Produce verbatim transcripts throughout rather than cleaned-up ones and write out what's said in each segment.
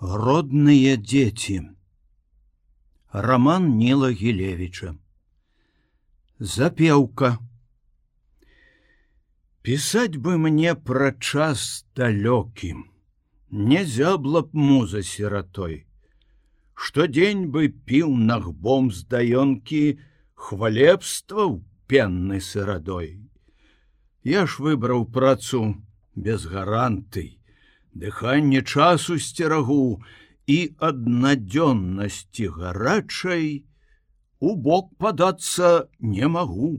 Родные дети. Роман Нила Гілевіча. Запеўка. Пісаць бы мне пра час далёкі, не зябла б муза сіратой. Штодзень бы піў нагбом з даёнкі хвалебстваў пеннай сырадой. Я ж выбраў працу без гарантый, дыханне часу сцерагу і аднадзённасці гарачай у бок падацца не магу.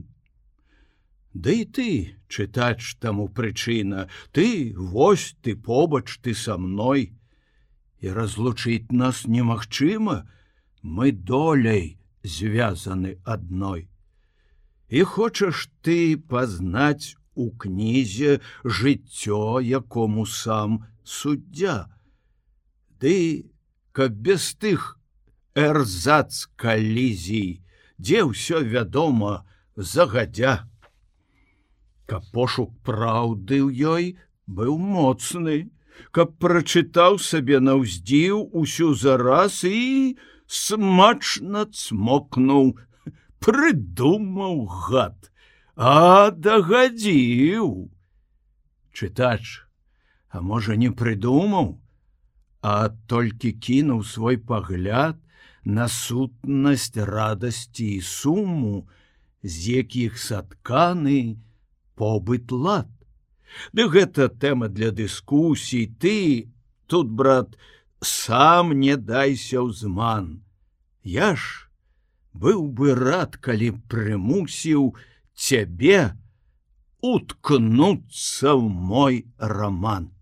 Ды і ты, чытач, таму прычына, ты, вось ты побач, ты са мной. І разлучыць нас немагчыма, мы доляй звязаны адной. І хочаш ты пазнаць у кнізе жыццё, якому сам суддзя. Ды, каб без тых эрзац калізій, дзе ўсё вядома загадзя. Каб пошук праўды ў ёй быў моцны, каб прачытаў сабе наўздзіў усю зараз і смачна цмокнуў, прыдумаў гад, а дагадзіў. Чытач, а можа не прыдумаў, а толькі кінуў свой пагляд на сутнасць радасці і суму, з якіх сатканы побыт лад. Ды гэта тэма для дыскусій, ты тут, брат, сам не дайся ў зман. Я ж быў бы рад, калі прымусіў цябе уткнуцца ў мой роман.